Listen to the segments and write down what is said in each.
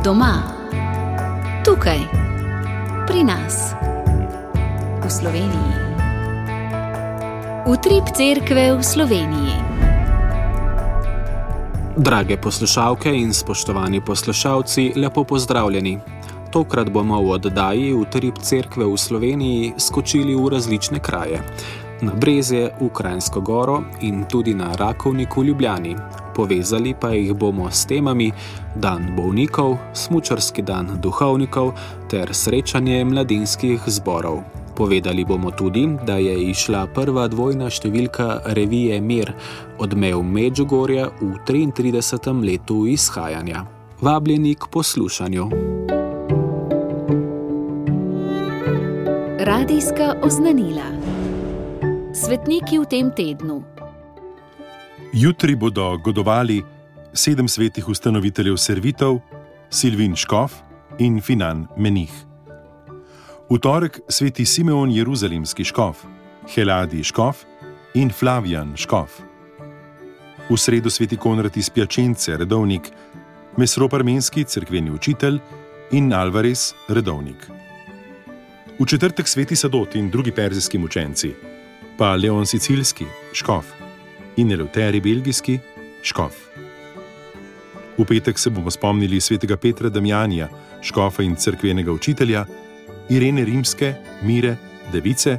Doma, tukaj, pri nas, v Sloveniji. Utrip cerkve v Sloveniji. Drage poslušalke in spoštovani poslušalci, lepo pozdravljeni. Tokrat bomo v oddaji Utrip cerkve v Sloveniji skočili v različne kraje. Na Brezje, v Kranjsko Goro in tudi na Rakovnik v Ljubljani. Povezali pa jih bomo s temami Dan bolnikov, smučarski dan duhovnikov ter srečanje mladinskih zborov. Povedali bomo tudi, da je izšla prva dvojna številka revije Mir, Odmev Medžugorja v 33. letu izhajanja. Vabljeni k poslušanju. Radijska oznanila. Svetniki v tem tednu. Jutri bodo godovali 7 svetih ustanoviteljev servitov, Silvin Škof in Finan Menih. V torek sveti Simeon Jeruzalemski škof, Heladi Škof in Flavijan Škof. V sredo sveti Konrad iz Pjačence, redovnik, Mesrop Armenski, cerkveni učitelj in Alvarez, redovnik. V četrtek sveti Sadot in drugi perzijski mučenci, pa Leon Sicilski, škof, in Eleuteri Belgijski, škof. V petek se bomo spomnili svetega Petra Damjanija, škofa in cerkvenega učitelja, Irene Rimske, Mire, device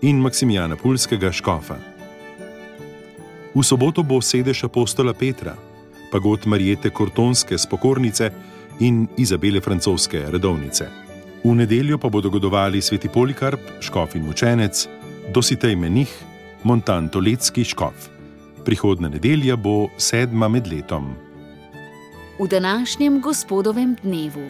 in Maksimijana Pulskega, škofa. V soboto bo sedež apostola Petra, pagod Marijete Kortonske, spokornice in Izabele Francoske, redovnice. V nedeljo pa bodo godovali sveti Polikarp, škof in mučenec, Dositej Menih, Montan Toletski, škof. Prihodna nedelja bo 7. med letom. V današnjem gospodovem dnevu.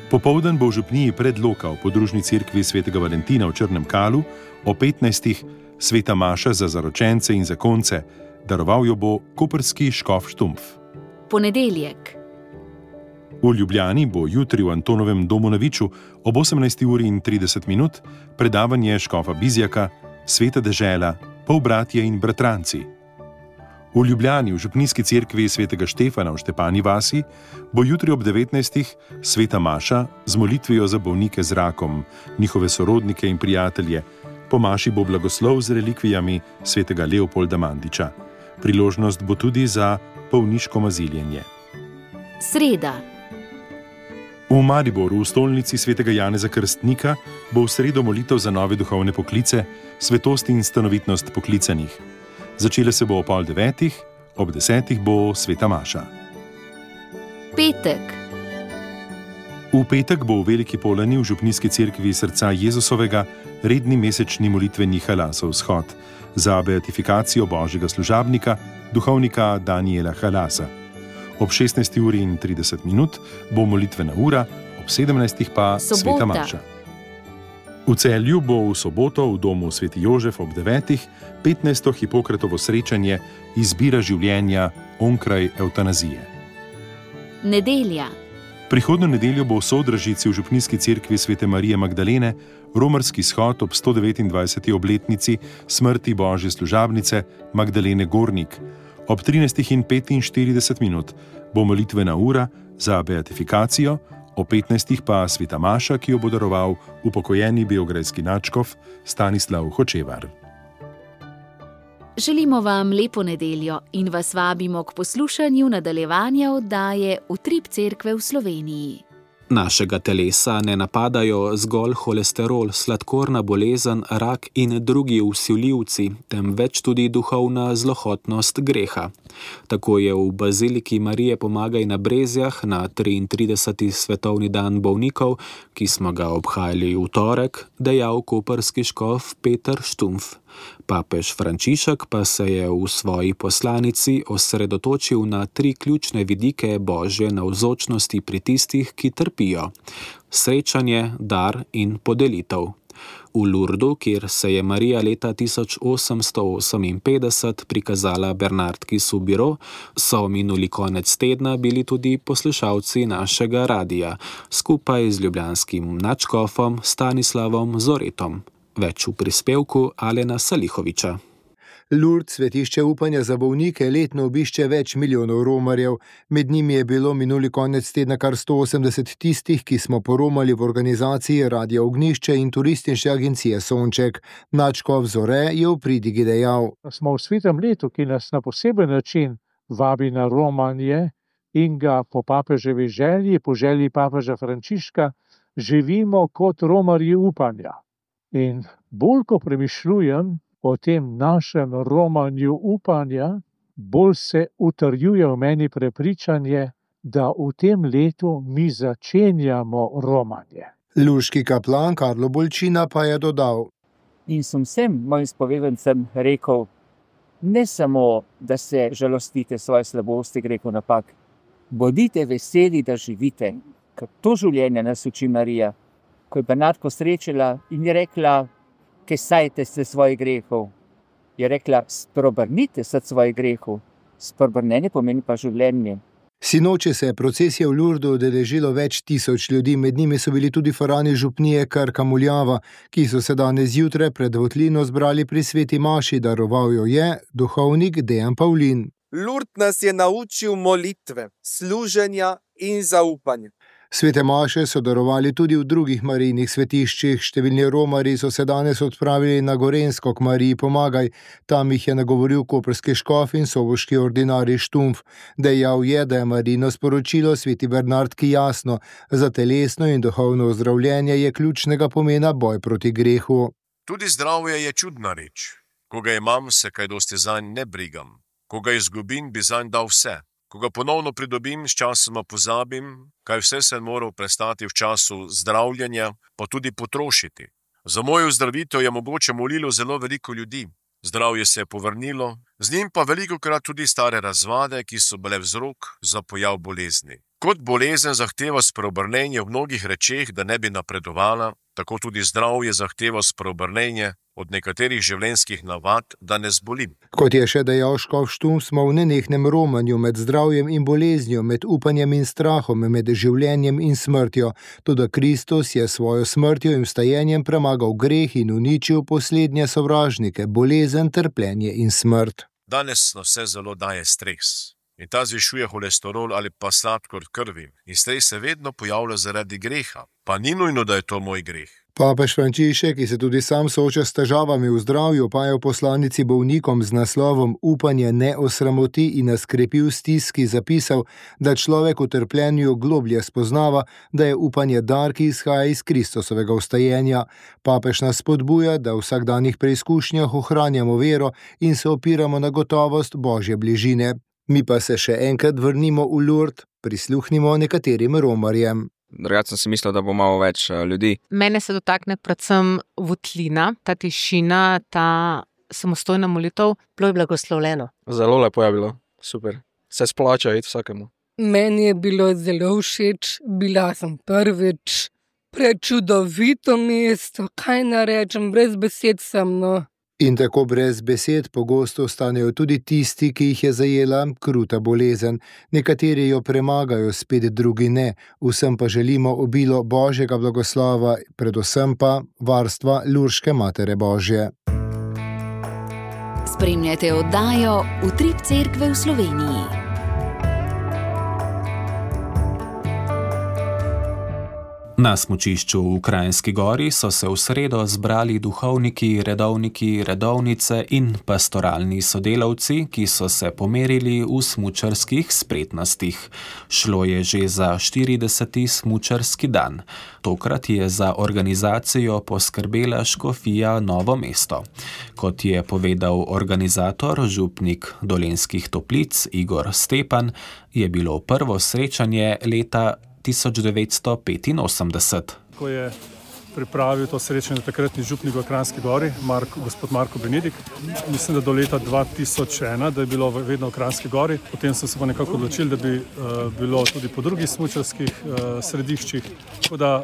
Popoldan bo v župniji Predloka v podružni cerkvi svetega Valentina v Črnem Kalu o 15. sveta maša za zaročence in zakonce, daroval jo bo koprski škof Štumpf. Ponedeljek. V Ljubljani bo jutri v Antonovem domu na Viču ob 18:30 predavanje škofa Bizjaka, Sveta dežela, polbratje in bratranci. V Ljubljani v župnijski cerkvi svetega Štefana v Štepani vasi bo jutri ob 19. sveta maša z molitvijo za bolnike z rakom, njihove sorodnike in prijatelje. Po maši bo blagoslov z relikvijami svetega Leopolda Mandiča. Priložnost bo tudi za bolniško maziljenje. Sreda. V Mariboru, v stolnici svetega Janeza Krstnika, bo v sredo molitev za nove duhovne poklice, svetost in stanovitnost poklicanih. Začela se bo ob 8:30, ob 10. bo sveta maša. Petek. V petek bo v Veliki Polani v župnijski cerkvi srca Jezusovega redni mesečni molitveni halasov shod za beatifikacijo božjega služabnika, duhovnika Daniela Halasa. Ob 16:30 bo molitvena ura, ob 17. pa Sobota. sveta maša. V Celju bo v soboto v domu sveti Jožef ob 9. 15. Hipokratovo srečanje Izbira življenja onkraj evtanazije. Nedelja. Prihodno nedeljo bo v Sodražici v župnijski cerkvi svete Marije Magdalene romarski shod ob 129. obletnici smrti božje služabnice Magdalene Gornik. Ob 13:45 bo molitvena ura za beatifikacijo, ob 15. pa sveta maša, ki jo bo daroval upokojeni beograjski nadškof Stanislav Hočevar. Želimo vam lepo nedeljo in vas vabimo k poslušanju nadaljevanja oddaje Utrip cerkve v Sloveniji. Našega telesa ne napadajo zgolj holesterol, sladkorna bolezen, rak in drugi vsiljivci, temveč tudi duhovna zlohotnost greha. Tako je v Baziliki Marije Pomagaj na Brezjah na 33. svetovni dan bolnikov, ki smo ga obhajali v torek, dejal koprski škof Peter Štumpf. Papež Frančišek pa se je v svoji poslanici osredotočil na 3 ključne vidike božje navzočnosti pri tistih, ki trpijo: srečanje, dar in podelitev. V Lurdu, kjer se je Marija leta 1858 prikazala Bernardki Soubirous, so minuli konec tedna bili tudi poslušalci našega radija, skupaj z ljubljanskim nadškofom Stanislavom Zoretom. Več v prispevku Alena Salihoviča. Lourdes, svetišče upanja za bolnike, letno obišče več milijonov romarjev. Med njimi je bilo minuli konec tedna kar 180 tistih, ki smo poromali v organizaciji Radia Ognjišče in turistične agencije Sonček. Nadškof Zore je v pridigi dejal: Smo v svetem letu, ki nas na poseben način vabi na romanje in ga po papeževi želji, po želji papeža Frančiška, živimo kot romarji upanja. In bolj ko premišljujem o tem našem romanju upanja, bolj se utrjuje v meni prepričanje, da v tem letu mi začenjamo romanje. Luški kaplan Karlo Bolčina pa je dodal: In sem vsem mojim spovedancem rekel, ne samo, da se žalostite svoje slabosti, grehu napak, bodite veseli, da živite, ker to življenje nas uči Marija. Ko je Bernardko srečala in je rekla, kesajte se svojih grehov, je rekla, spreobrnite se svojih grehov. Spreobrnenje pomeni pa življenje. Sinoči se je procesija v Lourdu udeležilo več tisoč ljudi, med njimi so bili tudi farani župnije Krka Muljava, ki so se danes zjutraj pred votlino zbrali pri sveti maši, daroval jo je duhovnik Dejan Pavlin. Lourdes nas je naučil molitve, služenja in zaupanja. Svete maše so darovali tudi v drugih Marijnih svetiščih. Številni romarji so se danes odpravili na Gorenjsko k Mariji Pomagaj. Tam jih je nagovoril koprski škof in soboški ordinarij Štumf. Dejal je, da je Marijino sporočilo sveti Bernardki jasno. Za telesno in duhovno ozdravljenje je ključnega pomena boj proti grehu. Tudi zdravje je čudna reč. Ko ga imam, se kaj dosti zanj ne brigam. Ko ga izgubim, bi zanj dal vse. Ko ga ponovno pridobim, s časoma pozabim, kaj vse sem moral prestati v času zdravljenja, pa tudi potrošiti. Za mojo ozdravitev je mogoče molilo zelo veliko ljudi. Zdravje se je povrnilo, z njim pa velikokrat tudi stare razvade, ki so bile vzrok za pojav bolezni. Kot bolezen zahteva spreobrnenje v mnogih rečeh, da ne bi napredovala, tako tudi zdravje zahteva spreobrnenje od nekaterih življenjskih navad, da ne zbolim. Kot je še dejal škof Štumf, smo v nenehnem romanju med zdravjem in boleznjo, med upanjem in strahom, med življenjem in smrtjo. Toda Kristus je svojo smrtjo in vstajenjem premagal greh in uničil poslednje sovražnike, bolezen, trpljenje in smrt. Danes nas vse zelo daje stres. In ta zvišuje holesterol ali pa sladkor v krvi. In stres se vedno pojavlja zaradi greha. Pa ni nujno, da je to moj greh. Papež Frančišek, ki se tudi sam sooča s težavami v zdravju, pa je v poslanici bolnikom z naslovom Upanje ne osramoti in nas krepi v stiski zapisal, da človek v trpljenju globlje spoznava, da je upanje dar, ki izhaja iz Kristusovega vstajenja. Papež nas spodbuja, da v vsakdanjih preizkušnjah ohranjamo vero in se opiramo na gotovost Božje bližine. Mi pa se še enkrat vrnimo v Lourdes, prisluhnimo nekaterim romarjem. Drugače sem si mislil, da bo malo več ljudi. Mene se dotakne predvsem votlina, ta tišina, ta samostojna molitev. Bilo je blagoslovljeno. Zelo lepo je bilo, super. Se splača iti vsakemu. Meni je bilo zelo všeč, bila sem prvič. Prečudovito mesto, kaj narečem, brez besed sem, no. In tako brez besed pogosto ostanejo tudi tisti, ki jih je zajela kruta bolezen. Nekateri jo premagajo, spet drugi ne. Vsem pa želimo obilo Božjega blagoslova, predvsem pa varstva Lurške Matere Božje. Spremljate oddajo Utrip Cerkve v Sloveniji. Na smučišču v Kranjski Gori so se v sredo zbrali duhovniki, redovniki, redovnice in pastoralni sodelavci, ki so se pomerili v smučarskih spretnostih. Šlo je že za 40. smučarski dan. Tokrat je za organizacijo poskrbela škofija Novo mesto. Kot je povedal organizator, župnik Dolenjskih Toplic Igor Stepan, je bilo prvo srečanje leta 1985. Ko je pripravil to srečanje takratni župnik v Kranjski Gori, gospod Marko Benedik. Mislim, da do leta 2001, da je bilo vedno v Kranjski Gori. Potem so se pa nekako odločili, da bi bilo tudi po drugih smučarskih središčih, tako da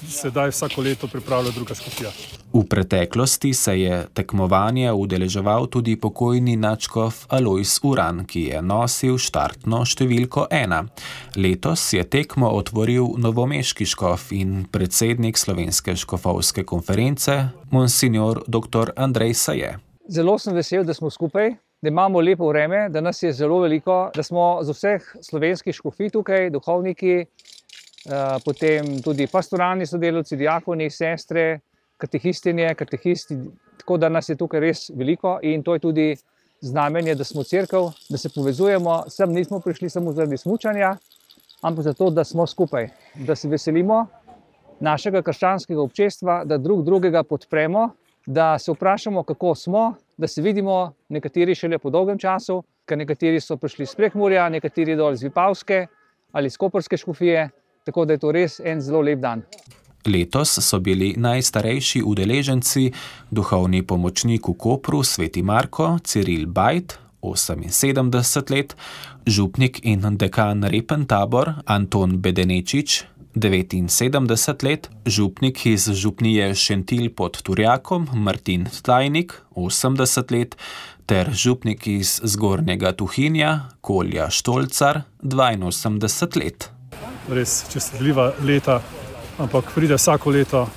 sedaj vsako leto pripravlja druga škofija. V preteklosti se je tekmovanje udeleževal tudi pokojni nadškof Alojz Uran, ki je nosil štartno številko 1. Letos je tekmo otvoril novomeški škof in predsednik Slovenske škofovske konference, monsignor dr. Andrej Saje. Zelo sem vesel, da smo skupaj, da imamo lepo vreme, da nas je zelo veliko, da smo z vseh slovenskih škofij tukaj, duhovniki, potem tudi pastoralni sodelavci, diakoni, sestre, katehistinje, katehisti, tako da nas je tukaj res veliko in to je tudi znamenje, da smo cerkev, da se povezujemo, sem nismo prišli samo zaradi smučanja, ampak zato, da smo skupaj, da se veselimo našega krščanskega občestva, da drug drugega podpremo, da se vprašamo, kako smo, da se vidimo, nekateri šele po dolgem času, ker nekateri so prišli iz Prekmurja, nekateri dol iz Vipavske ali iz Koprske škofije, tako da je to res en zelo lep dan. Letos so bili najstarejši udeleženci duhovni pomočnik v Kopru Sveti Marko, Ciril Bajt, 78 let, župnik in dekan Repentabor Anton Bedenečič, 79 let, župnik iz župnije Šentilj pod Turjakom Martin Tajnik, 80 let, ter župnik iz Zgornjega Tuhinja Kolja Štolcar, 82 let. Res čestitljiva leta, ampak pride vsako leto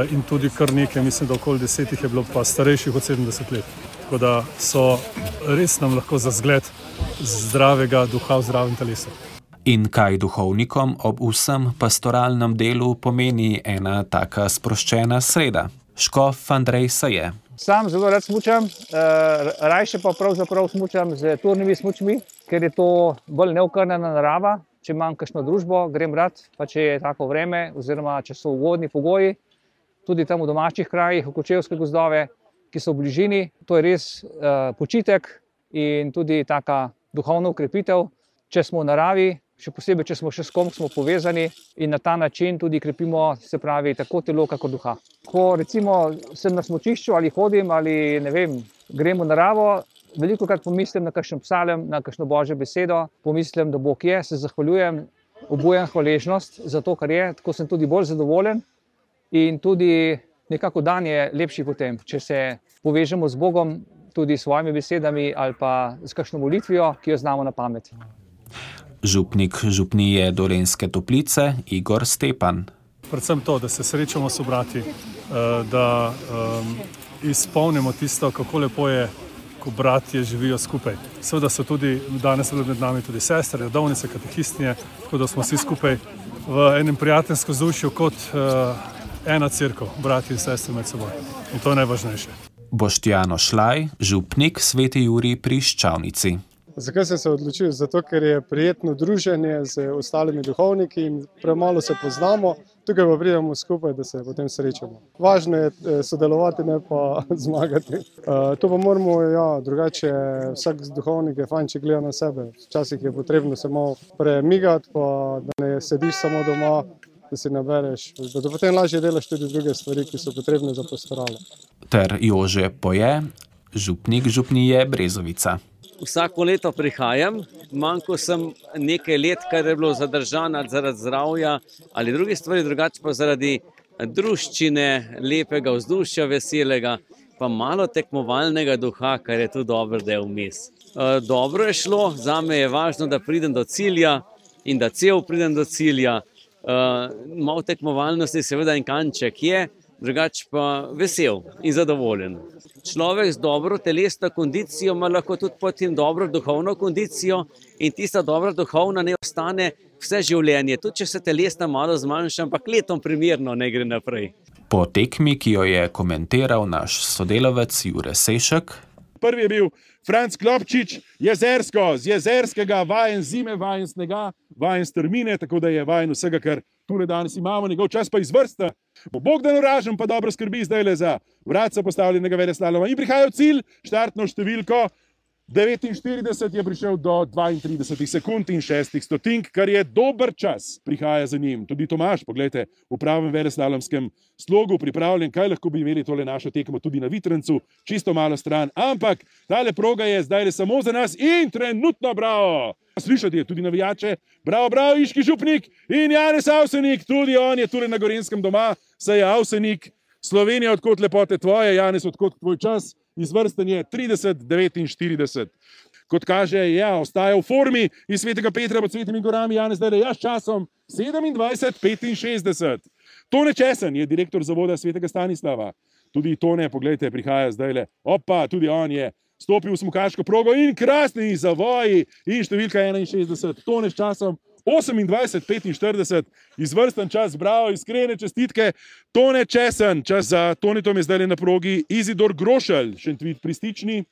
in tudi kar nekaj, mislim, da okoli 10 je bilo pa starejših od 70 let. Tako da so res nam lahko za zgled zdravega duha v zdravem telesu. In kaj duhovnikom ob vsem pastoralnem delu pomeni ena taka sproščena sreda? Škof Andrej Saje. Sam zelo rad smučam, rajše pa pravzaprav smučam z turnimi smučmi, ker je to bolj neokrnjena narava. Če imam kakšno družbo, grem rad, pa če je tako vreme oziroma če so ugodni pogoji, tudi tam v domačih krajih, v Kočevske gozdove, ki so v bližini, to je res počitek in tudi taka duhovna ukrepitev, če smo v naravi, še posebej, če smo še s kom smo povezani in na ta način tudi krepimo, se pravi, tako telo, kako duha. Ko recimo sem na smučišču ali hodim ali ne vem, grem v naravo, velikokrat pomislim na kakšen psalem, na kakšno božjo besedo, pomislim, da Bog je, se zahvaljujem, obujam hvaležnost za to, kar je, tako sem tudi bolj zadovoljen in tudi nekako dan je lepši potem, če se povežemo z Bogom tudi s svojimi besedami ali pa s kakšno molitvijo, ki jo znamo na pamet. Župnik župnije Dolenjske Toplice Igor Stepan. Predvsem to, da se srečamo s brati, da izpolnimo tisto, kako lepo je, ko bratje živijo skupaj. Seveda so tudi danes med nami tudi sestre, redovnice, katehistinje, tako da smo vsi skupaj v enem prijateljskem vzdušju kot ena cerkev, bratje in sestre med seboj. In to je najvažnejše. Boštjano Šlaj, župnik Sveti Jurij pri Ščavnici. Zakaj sem se odločil? Zato, ker je prijetno druženje z ostalimi duhovniki in premalo se poznamo, tukaj pa pridemo skupaj, da se potem srečamo. Važno je sodelovati, ne pa zmagati. To pa moramo, drugače vsak duhovnik je fajn, če gleda na sebe. Včasih je potrebno se malo premigati, pa da ne sediš samo doma, da si nabereš, da potem lažje delaš tudi druge stvari, ki so potrebne za pastoralo. Ter Jože Poje, župnik župnije Brezovica. Vsako leto prihajam, manjko sem nekaj let, kar je bilo zadržano zaradi zdravja ali druge stvari, drugače pa zaradi druščine, lepega vzdušja, veselega, pa malo tekmovalnega duha, kar je tudi dober del vmes. Dobro je šlo, zame je važno, da pridem do cilja in da cel pridem do cilja. Malo tekmovalnosti seveda en kanček je, drugače pa vesel in zadovoljen. Človek z dobro telesno kondicijo ima lahko tudi potem dobro duhovno kondicijo in tista dobra duhovna ne ostane vse življenje, tudi če se telesna malo zmanjša, ampak letom primerno ne gre naprej. Po tekmi, ki jo je komentiral naš sodelavec Jure Sešek. Prvi je bil Franc Klopčič, Jezersko, z Jezerskega, vajen zime, vajen snega, vajen strmine, tako da je vajen vsega, kar tule danes imamo, njegov čas pa izvrsta. Bo Bogdan Oražen pa dobro skrbi zdajle za vratca postavljenega veleslaloma in prihaja v cilj, štartno številko 49 je prišel do 32 sekund in 6 stotink, kar je dober čas, prihaja za njim. Tudi Tomaž, poglejte, v pravem veleslalomskem slogu pripravljen, kaj lahko bi imeli tole našo tekmo tudi na Vitrancu, čisto malo stran, ampak tale proga je zdajle samo za nas in trenutno bravo! Slišati je tudi navijače, bravo, iški župnik in Janez Avsenik, tudi on je tule na Gorenjskem doma, saj je Avsenik, Slovenija, odkot lepote tvoje, Janez, odkot tvoj čas, izvrsten je 30-49. Kot kaže, ostaja v formi iz Svetega Petra pod Svetimi gorami, Janez zdaj s časom 27-65. Tone Česen je direktor zavoda Svetega Stanislava. tudi Tone, poglejte, prihaja zdajle. Opa, tudi on je stopil v smukaško progo in krasni zavoji in številka 61. Tone s časom 28:45, izvrsten čas, bravo, iskrene čestitke. Tone Česen, čas za Tonetom je zdaj na progi Izidor Grošelj, Šentvid pri Stični.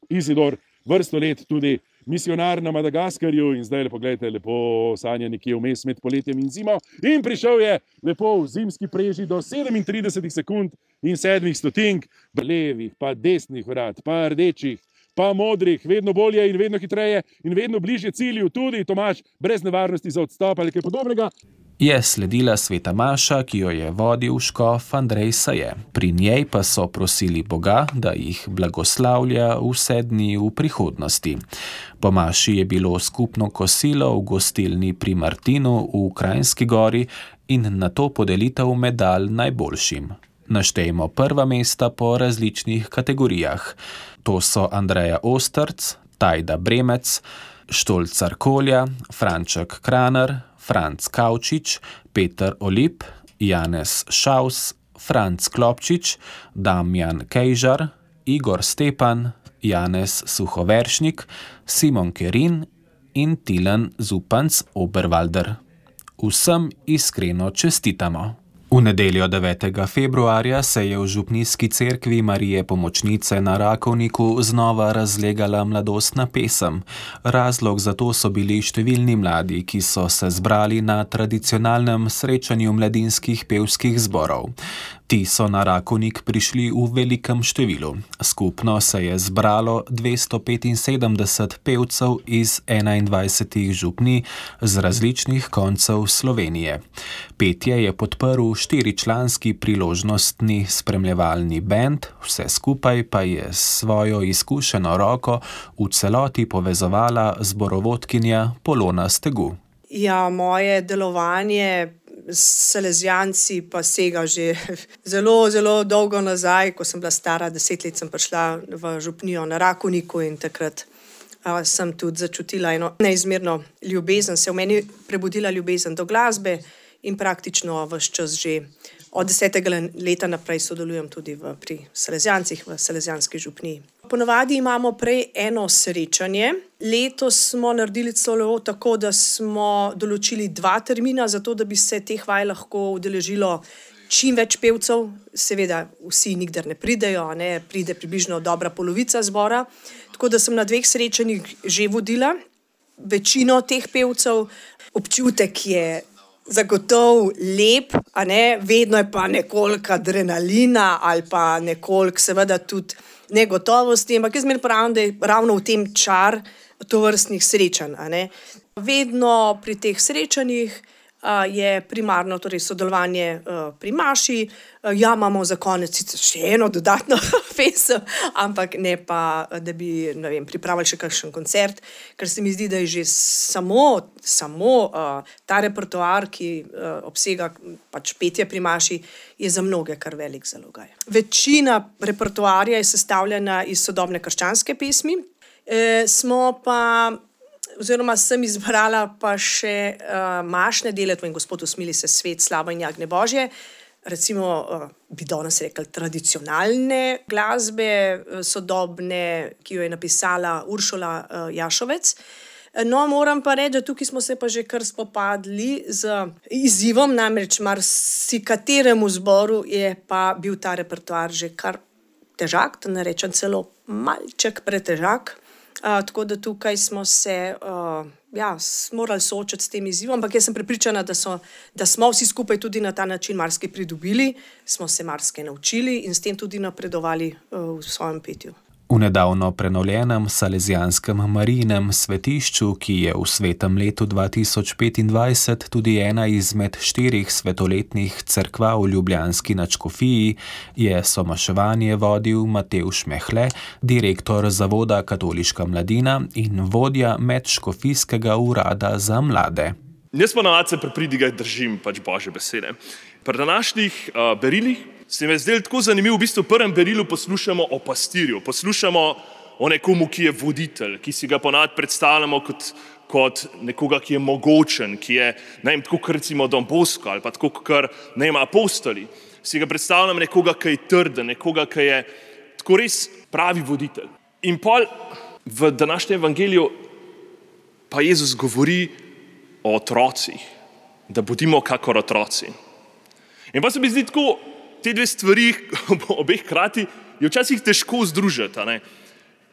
Izidor, vrsto let tudi misionar na Madagaskarju in zdaj pogledajte, lepo sanja nekje vmes med poletjem in zimo. In prišel je lepo v zimski preži do 37 sekund in 7 stotink, levih, pa desnih vrat, pa rdečih, pa modrih, vedno bolje in vedno hitreje in vedno bližje cilju, tudi Tomaž, brez nevarnosti za odstop ali kaj podobnega. Je sledila sveta maša, ki jo je vodil škof Andrej Saje. Pri njej pa so prosili Boga, da jih blagoslavlja vse dni v prihodnosti. Po maši je bilo skupno kosilo v gostilni pri Martinu v Kranjski Gori in nato podelitev medalj najboljšim. Naštejmo prva mesta po različnih kategorijah. To so Andreja Ostrc, Tajda Bremec, Štolcar Kolja, Franček Kraner, Franc Kavčič, Peter Olip, Janez Šaus, Franc Klopčič, Damjan Kejžar, Igor Stepan, Janez Suhoveršnik, Simon Kerin in Tilen Zupanc Oberwalder. Vsem iskreno čestitamo. V nedeljo 9. februarja se je v župnijski cerkvi Marije Pomočnice na Rakovniku znova razlegala mladostna pesem. Razlog za to so bili številni mladi, ki so se zbrali na tradicionalnem srečanju mladinskih pevskih zborov. Ti so na Rakovnik prišli v velikem številu. Skupno se je zbralo 275 pevcev iz 21 župnij z različnih koncev Slovenije. Petje je podprl 4-članski priložnostni spremljevalni bend, vse skupaj pa je s svojo izkušeno roko v celoti povezovala zborovodkinja Polona Stegu. Ja, moje delovanje s Salezijanci pa sega že zelo, zelo dolgo nazaj. Ko sem bila stara 10 let, sem prišla v župnijo na Rakovniku in takrat sem tudi začutila eno neizmerno ljubezen, se v meni prebudila ljubezen do glasbe in praktično ves čas že od 10. leta naprej sodelujem tudi pri Salezijancih, v Salezijanski župniji. Ponavadi imamo prej eno srečanje. Letos smo naredili celo tako, da smo določili 2 termina, zato da bi se teh vaj lahko udeležilo čim več pevcev. Seveda vsi nikdar ne pridejo, ne? Pride približno dobra polovica zbora. Tako da sem na 2 srečanjih že vodila večino teh pevcev. Občutek je zagotovo lep, a ne? Vedno je pa nekoliko adrenalina ali pa nekoliko seveda tudi negotovosti, ampak jaz pravim, da je ravno v tem čar tovrstnih srečanj. A ne? Vedno pri teh srečanjih je primarno torej sodelovanje pri maši. Ja, imamo za konec še eno dodatno pesem, ampak ne pa, da bi pripravili še kakšen koncert, ker se mi zdi, da je že samo ta repertoar, ki obsega pač petje pri maši, je za mnoge kar velik zalogaj. Večina repertoarja je sestavljena iz sodobne krščanske pesmi, sem izbrala pa še mašne dele, to in Gospod usmili se svet, slava in jagnje Božje, recimo bi danes rekli tradicionalne glasbe, sodobne, ki jo je napisala Uršula Jašovec. No, moram pa reči, da tukaj smo se pa že kar spopadli z izzivom, namreč marsikateremu zboru je pa bil ta repertoar že kar težak, da ne rečem celo malček pretežak. Tako da tukaj smo se morali soočiti s tem izzivom, ampak jaz sem prepričana, da smo vsi skupaj tudi na ta način marsikaj pridobili, smo se marsikaj naučili in s tem tudi napredovali v svojem petju. V nedavno prenovljenem Salezijanskem Marijinem svetišču, ki je v svetem letu 2025 tudi ena izmed 4 svetoletnih cerkva v ljubljanski nadškofiji, je somaševanje vodil Matevž Mehle, direktor Zavoda Katoliška mladina in vodja medškofijskega urada za mlade. Jaz ponavadi se pri pridigah držim Božje besede. Pri današnjih berilih se mi je zdelo tako zanimivo, v bistvu v prvem berilu poslušamo o pastirju, poslušamo o nekomu, ki je voditelj, ki si ga ponavadi predstavljamo kot nekoga, ki je mogočen, ki je, tako kot recimo Don Bosco ali pa tako kot apostoli. Si ga predstavljam nekoga, ki je trden, nekoga, ki je tako res pravi voditelj. In pol v današnjem evangeliju pa Jezus govori o otrocih, da bodimo kakor otroci. In pa se mi zdi tako, te dve stvari, obeh hkrati, je včasih težko združiti, a ne?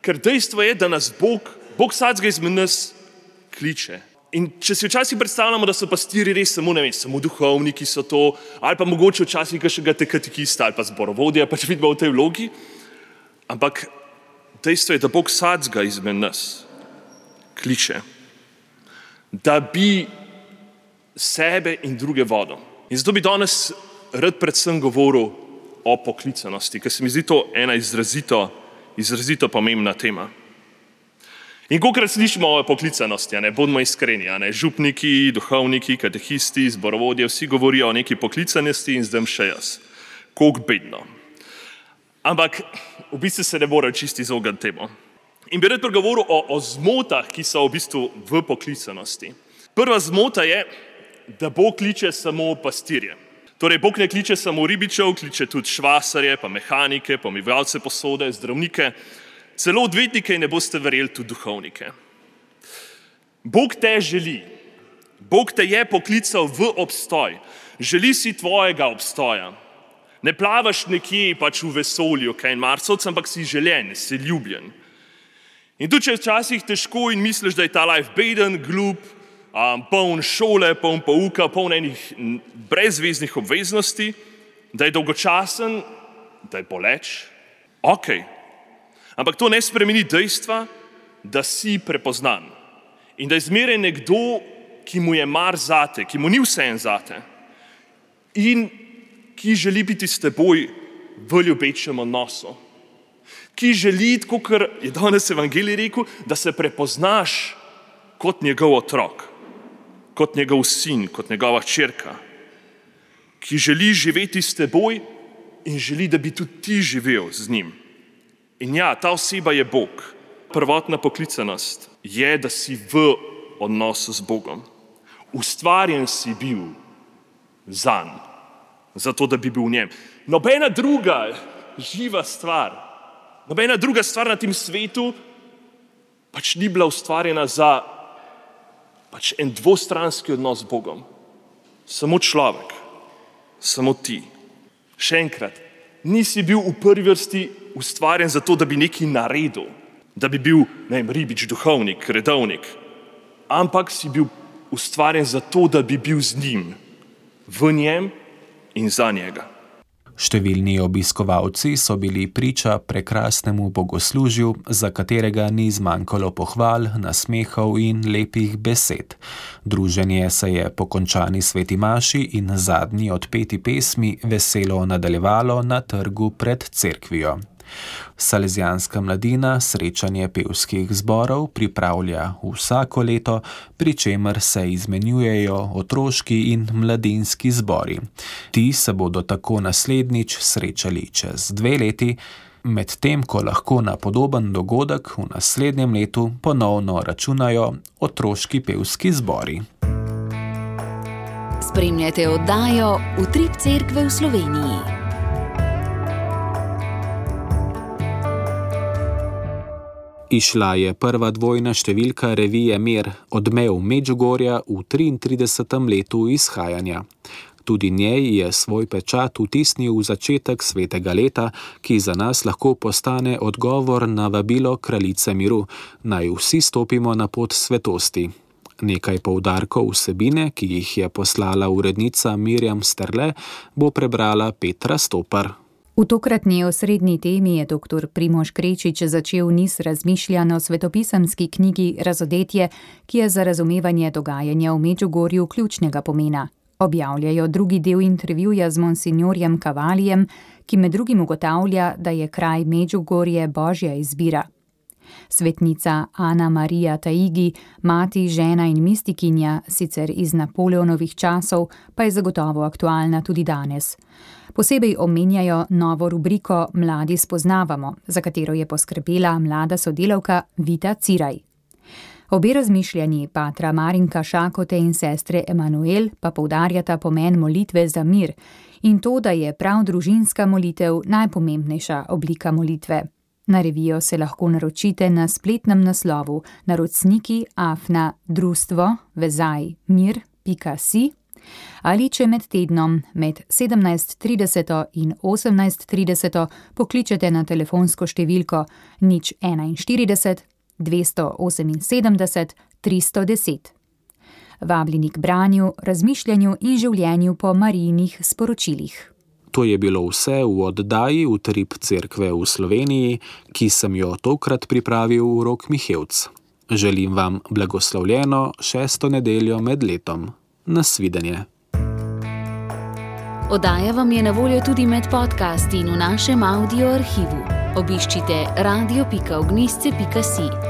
Ker dejstvo je, da nas Bog vsakega izmed nas kliče. In če si včasih predstavljamo, da so pastirji res samo duhovniki so to, ali pa mogoče včasih kakšnega katekista ali pa zborovodja, pač vidimo v tej vlogi, ampak dejstvo je, da Bog vsakega izmed nas kliče, da bi sebe in druge vodil. In zato bi danes rad predvsem govoril o poklicanosti, ker se mi zdi to ena izrazito pomembna tema. In kolikrat slišimo o poklicanosti, bodimo iskreni, župniki, duhovniki, katehisti, zborovodje, vsi govorijo o neki poklicanosti in zdaj še jaz. Koliko bedno. Ampak v bistvu se ne morejo čisto izogniti temu. In bi rad pregovoril o zmotah, ki so v bistvu v poklicanosti. Prva zmota je, da Bog kliče samo pastirje. Torej, Bog ne kliče samo ribičev, kliče tudi švasarje, pa mehanike, pomivalce posode, zdravnike, celo odvetnike in ne boste verjeli tudi duhovnike. Bog te želi. Bog te je poklical v obstoj. Želi si tvojega obstoja. Ne plavaš nekje pač v vesolju, kaj in Marsovc, ampak si želen, si ljubljen. In tudi če je včasih težko in misliš, da je ta life beden, glup, poln šole, poln pouka, poln enih brezveznih obveznosti, da je dolgočasen, da je boleč, okej. Ampak to ne spremeni dejstva, da si prepoznan in da je zmeraj nekdo, ki mu je mar zate, ki mu ni vseeno zate in ki želi biti s teboj v ljubečem odnosu, ki želi, tako kot je danes evangelij rekel, da se prepoznaš kot njegov otrok, kot njegov sin, kot njegova hčerka, ki želi živeti s teboj in želi, da bi tudi ti živel z njim. In ja, ta oseba je Bog. Prvotna poklicanost je, da si v odnosu z Bogom. Ustvarjen si bil zanj, zato da bi bil v njem. Nobena druga živa stvar, nobena druga stvar na tem svetu pač ni bila ustvarjena za pač en dvostranski odnos z Bogom. Samo človek, samo ti. Še enkrat, nisi bil v prvi vrsti ustvarjen zato, da bi nekaj naredil, da bi bil, ribič, duhovnik, redovnik, ampak si bil ustvarjen zato, da bi bil z njim, v njem in za njega. Številni obiskovalci so bili priča prekrasnemu bogoslužju, za katerega ni zmanjkalo pohval, nasmehov in lepih besed. Druženje se je po končani sveti maši in zadnji odpeti pesmi veselo nadaljevalo na trgu pred cerkvijo. Salezijanska mladina srečanje pevskih zborov pripravlja vsako leto, pri čemer se izmenjujejo otroški in mladinski zbori. Ti se bodo tako naslednjič srečali čez 2 leti, medtem ko lahko na podoben dogodek v naslednjem letu ponovno računajo otroški pevski zbori. Spremljate oddajo Utrip cerkve v Sloveniji. Izšla je prva dvojna številka revije Mir, odmev Medžugorja v 33. letu izhajanja. Tudi njej je svoj pečat vtisnil v začetek svetega leta, ki za nas lahko postane odgovor na vabilo kraljice miru, naj vsi stopimo na pot svetosti. Nekaj poudarkov vsebine, ki jih je poslala urednica Mirjam Sterle, bo prebrala Petra Stopar. V tokratni osrednji temi je dr. Primož Krečič začel niz razmišljanj o svetopisemski knjigi Razodetje, ki je za razumevanje dogajanja v Medžugorju ključnega pomena. Objavljajo drugi del intervjuja z monsinjorjem Kavalijem, ki med drugim ugotavlja, da je kraj Medžugorje božja izbira. Svetnica Ana Marija Taigi, mati, žena in mistikinja, sicer iz Napoleonovih časov, pa je zagotovo aktualna tudi danes. Posebej omenjajo novo rubriko Mladi spoznavamo, za katero je poskrbela mlada sodelavka Vita Ciraj. Obe razmišljanji patra Marinka Šakote in sestre Emanuel pa poudarjata pomen molitve za mir in to, da je prav družinska molitev najpomembnejša oblika molitve. Na revijo se lahko naročite na spletnem naslovu naročniki@društvo-mir.si ali če med tednom med 17:30 in 18:30 pokličete na telefonsko številko 041 278 310. Vabljeni k branju, razmišljanju in življenju po Marijinih sporočilih. To je bilo vse v oddaji Utrip cerkve v Sloveniji, ki sem jo tokrat pripravil Rok Mihevc. Želim vam blagoslovljeno 6. nedeljo med letom. Nasvidenje. Oddaja vam je na voljo tudi med podcasti in v našem audio arhivu. Obiščite radio.ognisce.si.